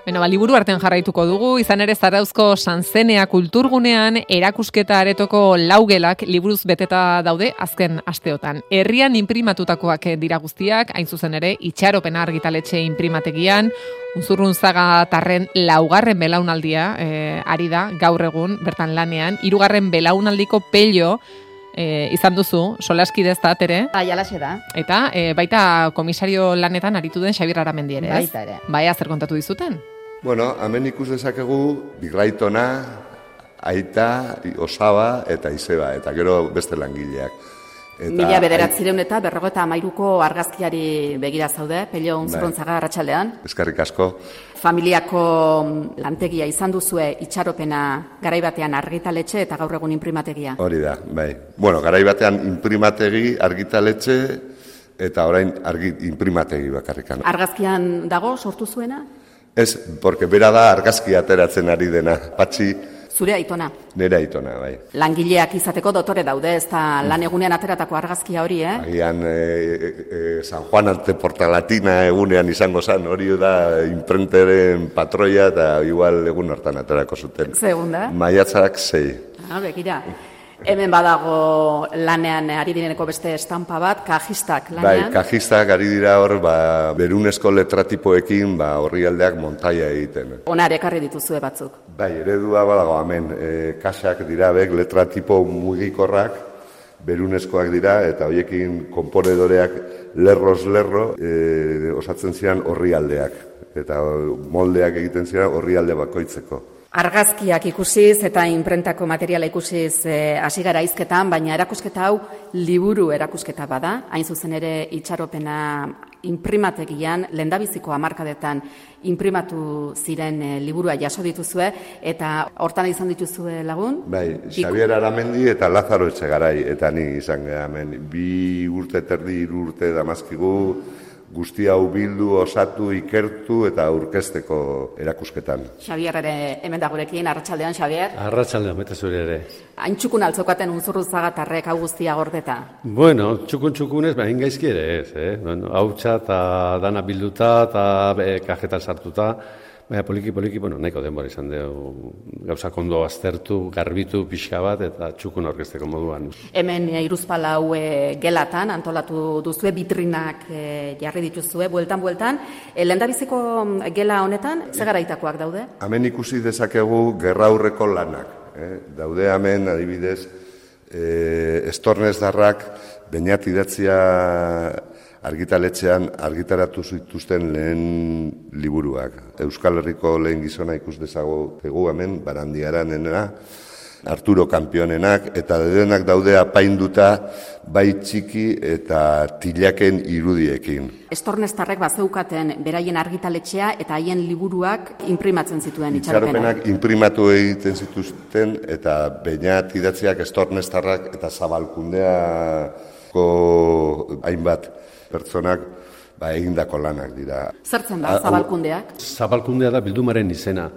Liburu artean jarraituko dugu, izan ere Zarauzko Sanzenea kulturgunean erakusketa aretoko laugelak liburuz beteta daude azken asteotan. Herrian inprimatutakoak dira guztiak, hain zuzen ere, Itxaropena argitaletxe inprimategian, Unzurrunzaga tarren laugarren belaunaldia ari da gaur egun bertan lanean, 3. belaunaldiko pello izan duzu, solaskide ez da, Tere? Jalaxe da. Eta baita komisario lanetan aritu den Xabier Aramendi ere, ez? Baita ere. Baina zer kontatu dizuten? Bueno, hemen ikus dezakegu Bigraitona, Aita, Osaba eta Izeba, eta gero beste langileak. 1953ko argazkiari begira zaude, Pello Unzurrunzaga arratsaldean. Eskerrik asko. Familiako lantegia izan duzue Itxaropena garaibatean argitaletxe eta gaur egun inprimategia. Hori da, bai. Bueno, garaibatean inprimategi, argitaletxe eta orain inprimategi bakarrikan. Argazkian dago sortu zuena? Ez, porque bera da argazki ateratzen ari dena. Patxi. Zure aitona. Nire aitona, bai. Langileak izateko dotore daude, ez da lan egunean ateratako argazkia hori, Agian San Juan ante Portalatina egunean izango zen, hori da imprenteren patroia eta igual egun hortan aterako zuten. Zegun da? Maiatzak 6. Begira. Hemen badago lanean ari direneko beste estampa bat, kajistak lanean. Bai, kajistak ari dira hor, berunezko letratipoekin horri aldeak montaia egiten. Onar ekarri dituzue batzuk. Bai, eredua badago hemen, kasak dira bek, letratipo mugikorrak, berunezkoak dira, eta horiekin konponedoreak lerroz-lerro osatzen ziren horri aldeak. Eta moldeak egiten ziren horri alde bakoitzeko. Argazkiak ikusiz eta inprentako materiala ikusiz hasi gara hizketan, baina erakusketa hau liburu erakusketa bada, hain zuzen ere Itxaropena inprimategian lehendabiziko hamarkadetan inprimatu ziren liburua jaso dituzue eta hortan izan dituzue lagun? Bai, Xabier Aramendi eta Lazaro Etxegarai eta ni izan gara hemen. 2 urte terdi, 3 urte damazkigu, guzti hau bildu, osatu, ikertu eta aurkezteko erakusketan. Xabier ere hemen da gurekin, arratsaldean Xabier. Arratsaldean, bete zure ere. Hain txukun altzokaten Unzurrunzaga tarrek hau guztia gordeta? Bueno, txukun-txukunez, hain gaizki ere ez, Bueno, hautsa eta dana bilduta eta kajetan sartuta, baina poliki, nahiko denbora izan dugu gauzak ondo aztertu, garbitu, pixka bat eta txukun aurkezteko moduan. Hemen Hiruzpalau gelatan antolatu duzue, bitrinak jarri dituzue, bueltan. Lehendabiziko gela honetan, ze garaitakoak daude? Hemen ikusi dezakegu gerraurreko lanak. Daude hemen, adibidez, estornezdarrak Beñat idatzia argitaletxean argitaratu zituzten lehen liburuak. Euskal Herriko lehen gizona ikus dezakegu hemen, Barandiaranena, Arturo Kanpionenak, eta denak daude apainduta bai txiki eta tilaken irudiekin. Estorneztarrek bazeukaten beraien argitaletxea eta haien liburuak inprimatzen zituen Itxaropenak. Itxaropenak inprimatu egiten zituzten eta Beñat idatziak estorneztarrak eta Zabalkundeako hainbat pertsonak egindako lanak dira. Zertzen da Zabalkundeak? Zabalkundea da bildumaren izena.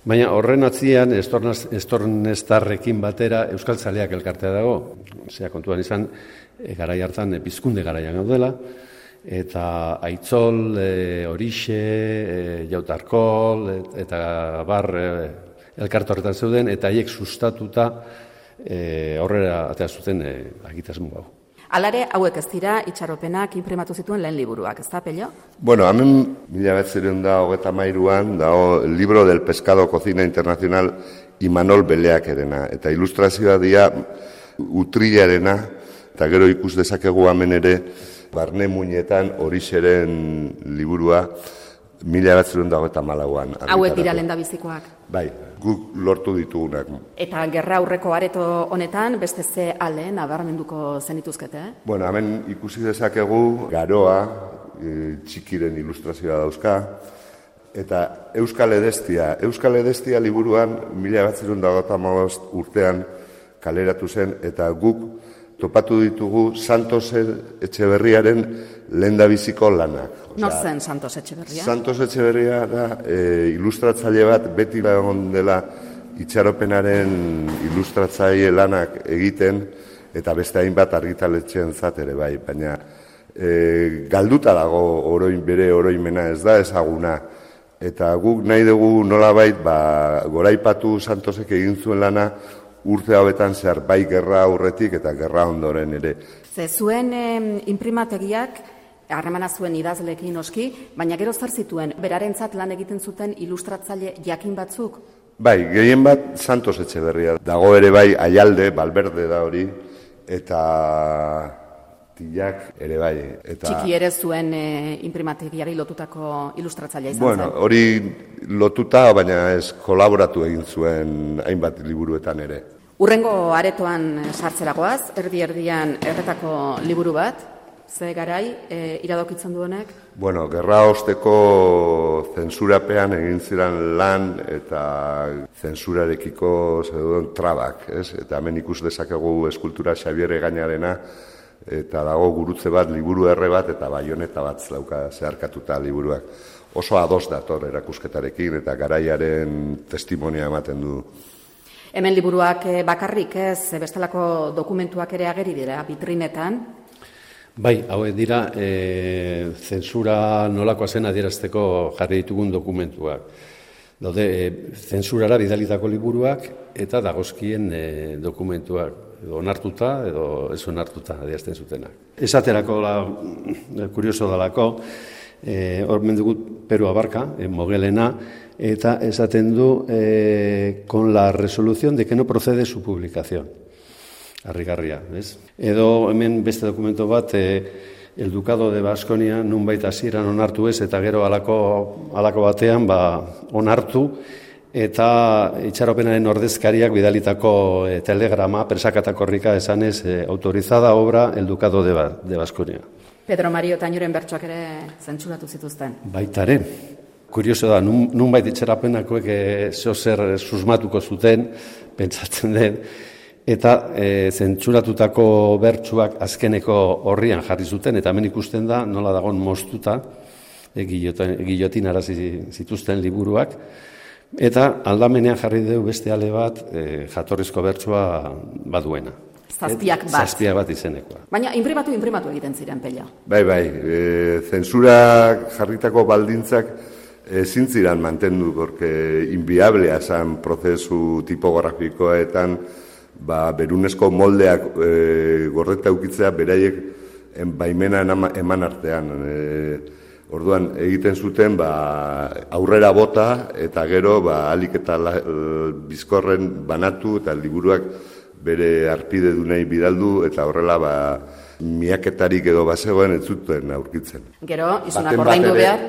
Baina horren atzian, estorneztarrekin batera Euskaltzaleak elkartea dago. Zera kontuan izan, garai hartan Pizkunde garaian gaudela, eta Aitzol, Horixe, Jautarkol, eta bar elkarte horretan zeuden, eta haiek sustatuta horrela atea zuten agitasmo hau. Alare, hauek ez dira Itxaropenak inprimatu zituen lehen liburuak, ez da, Pello? Bueno, hemen 1933an dago Libro del Pescado Cocina Internacional Imanol Beleakerena, eta ilustrazioa dira Utrillarena, eta gero ikus dezakegu hemen ere Barne Muinetan Horixeren liburua 1934an. Hauek dira lehendabizikoak. Bai, guk lortu ditugunak. Eta gerra aurreko areto honetan, beste ze ale nabarmenduko zenituzkete? Bueno, hemen ikusi dezakegu Garoa, txikiren ilustrazioa dauzka, eta Euskal Edestia liburuan 1935 urtean kaleratu zen, eta guk topatu ditugu Santos Etxeberriaren lehendabiziko lanak. Nor zen Santos Etxeberria? Santos Etxeberria da ilustratzaile bat, beti egon dela Itxaropenaren ilustratzaile lanak egiten, eta beste hainbat argitaletxeen ere bai, baina galduta dago bere oroimena, ez da ezaguna. Eta guk nahi dugu nolabait goraipatu Santosek egin zuen lana urte hauetan zehar bai gerra aurretik eta gerra ondoren ere. Ze zuen inprimategiak harremana zuen idazleekin noski, baina gero zer zituen berarentzat lan egiten zuten ilustratzaile jakin batzuk? Bai, gehien bat Santos Etxeberria. Dago ere bai Aialde, Valverde da hori, eta Tillak ere bai. Txiki ere zuen inprimategiari lotutako ilustratzailea izan zen. Hori lotuta, baina ez kolaboratu egin zuen hainbat liburuetan ere. Urrengo aretoan sartzeragoaz, erdi-erdian erretako liburu bat, ze garai iradokitzen du honek? Gerra osteko zentsurapean egin ziren lan eta zentsurarekiko zeduen trabak, ez? Eta hemen ikus dezakegu eskultura Xabier Egañarena, eta dago gurutze bat, liburu erre bat, eta baioneta bat dauka zeharkatuta liburuak. Oso ados dator erakusketarekin eta garaiaren testimonia ematen du. Hemen liburuak bakarrik ez, bestelako dokumentuak ere ageri dira, vitrinetan. Bai, hauek dira, zentsura nolakoa zen adierazteko jarri ditugun dokumentuak. Daude, zentsurara bidalitako liburuak eta dagozkien dokumentuak. Edo onartuta, edo ez onartuta adierazten zutenak. Esaterako, kurioso dalako, hor mendugu Peru Abarka, Mogelena, eta esaten du con la resolución de que no procede su publicación. Harrigarria, ez? Edo hemen beste dokumento bat, el Ducado de Baskonia nunbait hasieran onartu ez, eta gero halako batean onartu, eta itxaropenaren ordezkariak bidalitako telegrama, presakatakorrika esanez, autorizada obra el Ducado de Baskonia. Pedro Mario Tañuren bertsoak ere zentsuratu zituzten. Baitare. Kurioso da, nunbait itxarapenakoek zer susmatuko zuten, pentsatzen den, eta zentsuratutako bertsuak azkeneko horrian jarri zuten, eta hemen ikusten da, nola dagon moztuta, gilotin arazi zituzten liburuak, eta aldamenean jarri dugu beste ale bat jatorrizko bertsua baduena. Zazpiak bat izenekoa. Baina inprimatu egiten ziren Pella. Bai, zentsurak jarritako baldintzak ezin ziren mantendu, porque inviablea zen prozesu tipografikoetan berunesko moldeak gordeta ukitzea beraiek baimena eman artean. Orduan egiten zuten aurrera bota eta gero alik eta bizkorren banatu eta liburuak bere arpide dunei bidaldu eta horrela miaketarik edo bazegoen ez zuten aurkitzen. Gero, izunak ordaindu behar?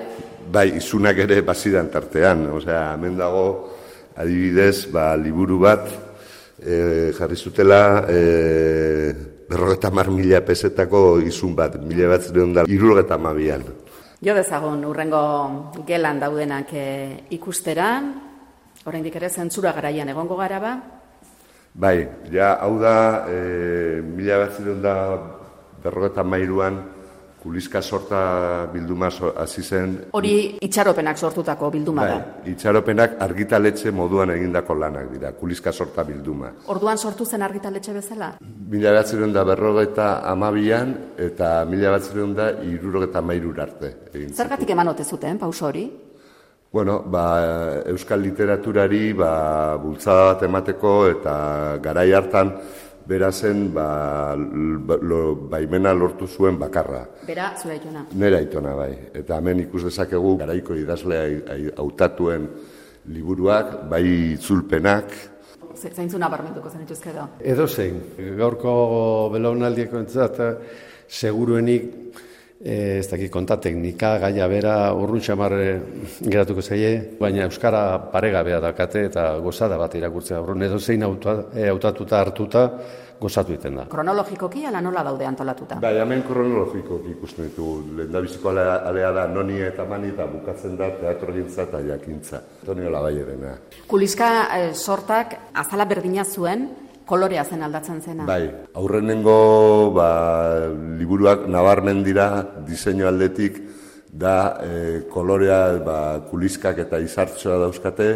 Bai, izunak ere bazidan tartean. Osea, hemen dago adibidez liburu bat jarri zutela 50.000 pesetako izun bat, 1972an. Jo dezagun urrengo gelan daudenak ikustera, oraindik ere zentsura garaian egongo gara ba? Bai, hau da 1953an Kuliska sorta bilduma hasi zen. Hori itxaropenak sortutako bilduma da. Bai, itxaropenak argitaletxe moduan egindako lanak dira, Kuliska sorta bilduma. Orduan sortu zen argitaletxe bezala? 1952an eta 1963 arte. Zergatik eman ote zuten, pauso hori? Bueno, euskal literaturari bultzada bat emateko eta garai hartan bera zen baimena lortu zuen bakarra. Bera, zure aitona? Nera aitona, bai. Eta hemen ikus dezakegu garaiko idazlea hautatuen liburuak, bai itzulpenak. Zaintzuna barmentuko zen ituzke edo? Edo zein, gaurko belaunaldieko entzat, seguruenik, ez dakit kontateknika, gaia bera, urrun xamar geratuko zaie, baina euskara paregabea dakate eta gozada bat irakurtzea. Edo zein hautatuta hartuta, gozatu egiten da. Kronologikoki ala nola daude antolatuta? Bai, hemen kronologikoki ikusten ditugu. Lehendabiziko alea da noni eta mani eta bukatzen da teatrogintza eta jakintza. Antonio Labaierena. Kuliska sortak azala berdina zuen, kolorea zen aldatzen zena. Bai, aurrenengo liburuak nabarmen dira diseinu aldetik da kolorea kuliskak eta izartxoa dauzkate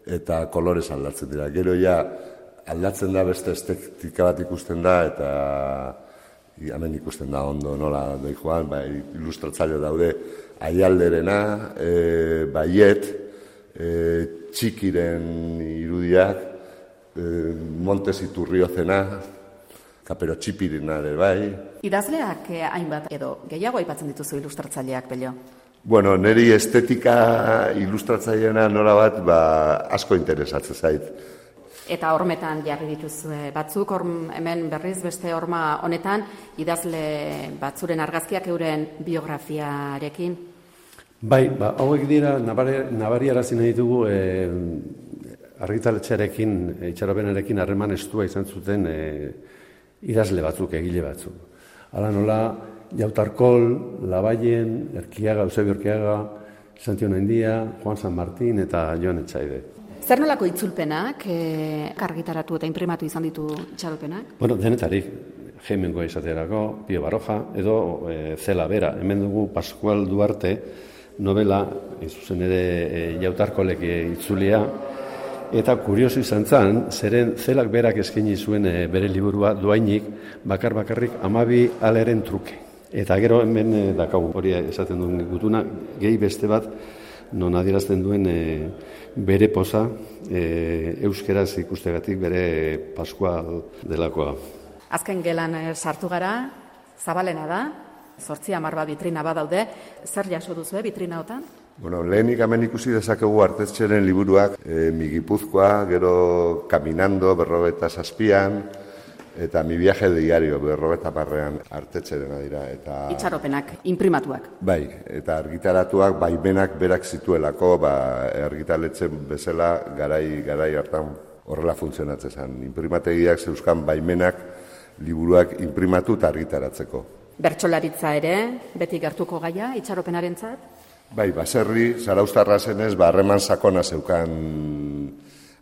eta kolorez aldatzen dira. Gero ja aldatzen da beste estetika bat ikusten da eta hemen ikusten da ondo nola doi joan, ilustratzaile daude Aialderena, Baiet, Txikiren irudiak, Montes Iturriozena, Kapero Txipirina ere bai. Idazleak hainbat edo gehiago aipatzen dituzu ilustratzaileak, Pello? Bueno, niri estetika ilustratzaileena nola bat asko interesatzen zait. Eta hormetan jarri dituzue batzuk, hemen berriz beste horma honetan, idazle batzuren argazkiak euren biografiarekin. Bai, hauek dira, nabariarazi nahi dugu argitaletxearekin, itxaropenarekin harreman estua izan zuten idazle batzuk, egile batzuk. Hala nola, Jautarkol, Labaien, Eusebio Erkiaga, Santion Aindia, Juan San Martín eta Joan Etxaide. Zer nolako itzulpenak argitaratu eta imprimatu izan ditu itxaropenak? Bueno, denetarik, Heimengoa izaterako, Pio Baroja, edo Zela Bera. Hemen dugu Pascual Duarte novela, zuzen ere Jautarkolek itzulia, eta kurioso izan zen, zeren Zelak berak eskaini zuen bere liburua doainik, bakarrik 12 aleren truke. Eta gero hemen dakagu hori esaten duen gutuna, gehi beste bat, non adierazten duen bere poza euskeraz ikustegatik bere Pascual delakoa. Azken gelan sartu gara, zabalena da, 8-10 vitrina badaude, zer jaso duzu vitrina hotan? Bueno, lehenik hemen ikusi dezakegu Artetxeren liburuak, Mi Gipuzkoa, gero Caminando, 47an, eta Mi viaje de diario, 50an Artetxerena dira. Itxaropenak, imprimatuak. Bai, eta argitaratuak baimenak berak zituelako, argitaletzen bezala garai hartan horrela funtzionatzen zen. Imprimategiak zeuzkan baimenak liburuak imprimatu eta argitaratzeko. Bertsolaritza ere, beti gertuko gaia, itxaropenarentzat? Bai, baserri, zarauztarra zenez, harreman sakona zeukan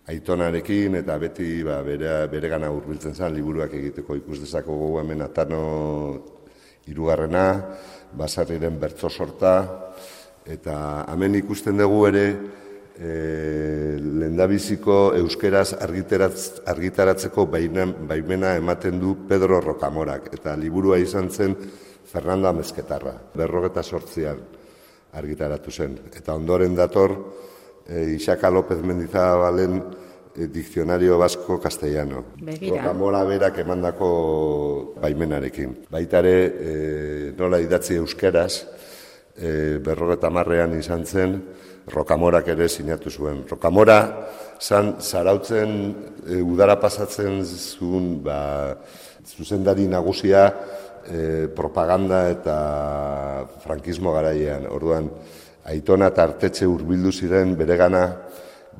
aitonarekin, eta beti bere gana hurbiltzen zen liburuak egiteko. Ikus dezakegu hemen Atano 3, baserriren bertso sorta, eta hemen ikusten dugu ere lehendabiziko euskeraz argitaratzeko baimena ematen du Pedro Rocamorak, eta liburua izan zen Fernando Amezketarra, 48an argitaratu zen. Eta ondoren dator Isaka López Mendizabalen Diccionario Vasco Castellano. Rocamora berak emandako baimenarekin. Baita ere nola idatzi euskeraz, 50an izan zen, Rocamorak ere sinatu zuen. Rocamora zarautzen udara pasatzen zuen zuzendari nagusia propaganda eta frankismo garaian. Orduan, Aitona eta Artetxe hurbildu ziren beregana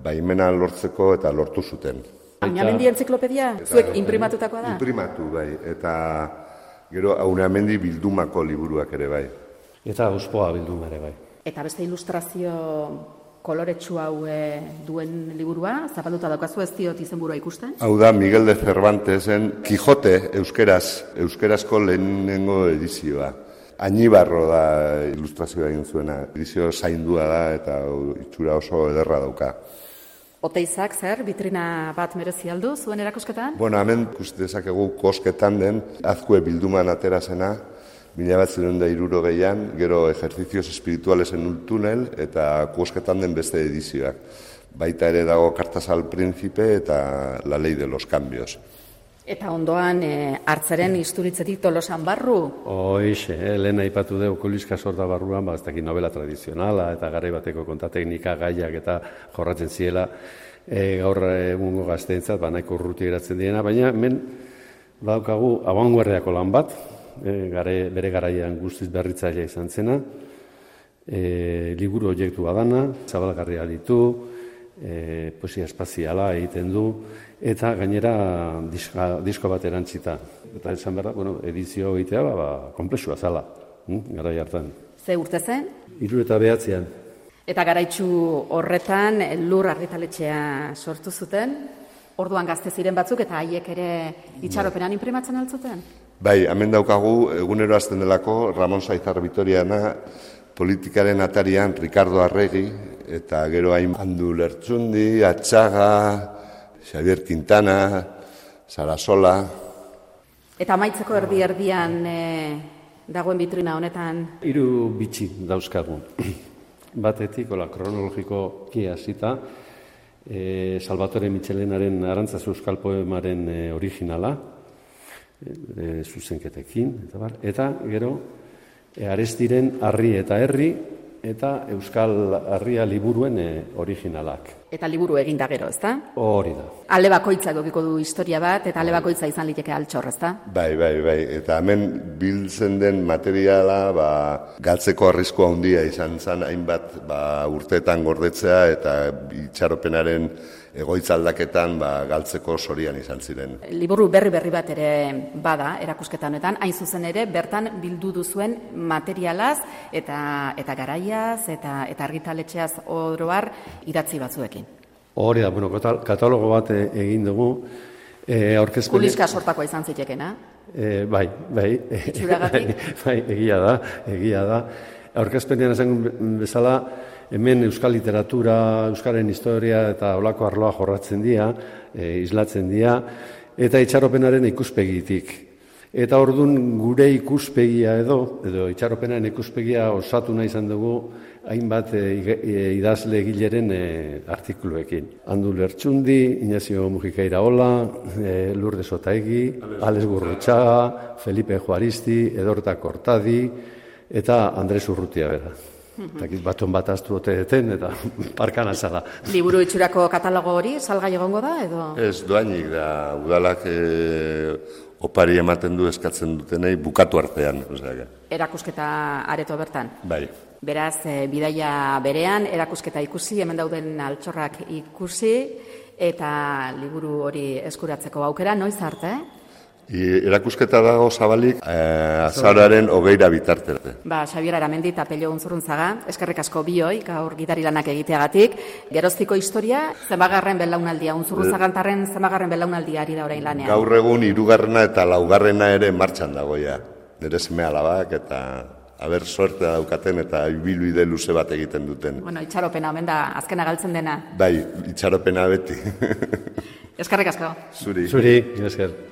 baimena lortzeko eta lortu zuten. Aunamendi entziklopedia? Zuek imprimatutakoa da? Imprimatu, bai. Eta gero Aunamendi bildumako liburuak ere, bai. Eta Auspoa bilduma ere, bai. Eta beste ilustrazio koloretsu hau duen liburua, zapalduta daukazu, ez diot izenburua ikusten? Hau da Miguel de Cervantesen Quijote euskerazko lehenengo edizioa. Añibarro da ilustrazioa egin zuena. Edizio zaindua da eta itxura oso ederra dauka. Oteizak, zer, vitrina bat merezi aldu zuen erakusketan? Bueno, hemen dezakegu kosketan den Azkue bilduman atera zena, 1960an, gero Ejercicios Espirituales en un túnel eta kosketan den beste edizioak. Baita ere dago Cartas al Príncipe eta La Ley de los Cambios. Eta ondoan hartzaren isturitzetik Tolosan barru? Hoixe, lehen aipatu dugu Kuliska Sorda barruan, ez dakit novela tradizionala eta garai bateko kontateknika gaiak eta jorratzen ziela gaur egungo gazteentzat nahiko urruti geratzen direna, baina hemen badaukagu abanguardiako lan bat, bere garaian guztiz berritzailea izan zena, liburu objektua dana, zabalgarria ditu, poesia espaziala egiten du, eta gainera disko bat erantzita. Eta esan behar da, edizio egitea konplexua zala, garai hartan. Ze urte zen? 79an. Eta garaitsu horretan Lur argitaletxea sortu zuten, orduan gazte ziren batzuk eta haiek ere itxaropenan imprimatzen altzuten? Bai, hemen daukagu egunero azten delako Ramon Saizar Vitoriana, politikaren atarian Ricardo Arregi, eta gero hain Andu Lertxundi, Atxaga, Xavier Quintana, Sarasola. Eta amaitzeko erdi-erdian dagoen bitrina honetan? 3 bitxi dauzkagu. Batetik, kronologikoki hasita, Salvatore Michelenaren Arantzazu euskal poemaren originala, zuzenketekin, eta gero, Arestiren Harri eta Herri, eta Euskal Harria liburuen originalak. Eta liburu egin da gero, ezta? Hori da. Ale bakoitzak edukiko du historia bat, eta ale bakoitza izan liteke altxor, ezta? Bai. Eta hemen biltzen den materiala galtzeko arriskua handia izan zen hainbat urteetan gordetzea eta itxaropenaren egoitza aldaketan galtzeko sorian izan ziren. Liburu berri bat ere bada erakusketa honetan, hain zuzen ere bertan bildu duzuen materialaz eta garaiaz eta argitaletxeaz oro har idatzi batzuekin. Hori da, katalogo bat egin dugu. Kuliska sortakoa izan zitekena? Bai. Itxuragatik? Bai, egia da. Aurkezpenean esan bezala, hemen euskal literatura, euskaren historia eta olako arloa jorratzen dira, islatzen dira, eta itxaropenaren ikuspegitik. Eta orduan gure ikuspegia edo itxaropenaren ikuspegia osatu nahi izan dugu hainbat idazle egileren artikuluekin. Andu Lertxundi, Ignacio Mujika Iraola, Lourdes Otaegi, Alex Gurrutxaga, Felipe Juaristi, Edorta Cortadi eta Andres Urrutia bera. Baton bat aztu oteeten eta parkan azala. Liburu itxurako katalogo hori salgai egongo da edo? Ez, doainik da. Udalak opari ematen du eskatzen dutenei bukatu artean. Erakusketa areto bertan? Bai. Beraz, bidaia berean, erakusketa ikusi, hemen dauden altxorrak ikusi, eta liburu hori eskuratzeko aukera, noiz arte? Erakusketa dago zabalik azaroaren 20 bitarte. Xabier Aramendi eta Pello Unzurruntzaga, eskerrik asko bioi, gaur gidari lanak egiteagatik. Geroztiko historia, zenbagarren belaunaldia, Unzurruntzagantarren zenbagarren belaunaldia ari da orain lanean. Gaur egun 3. eta 4. ere martxan dagoia. Nire seme alabak eta aber suerte daukaten eta ibilbide luze bat egiten duten. Itxaropena, omen da, azkena galtzen dena. Bai, itxaropena beti. Eskerrik asko. Zuri. Esker.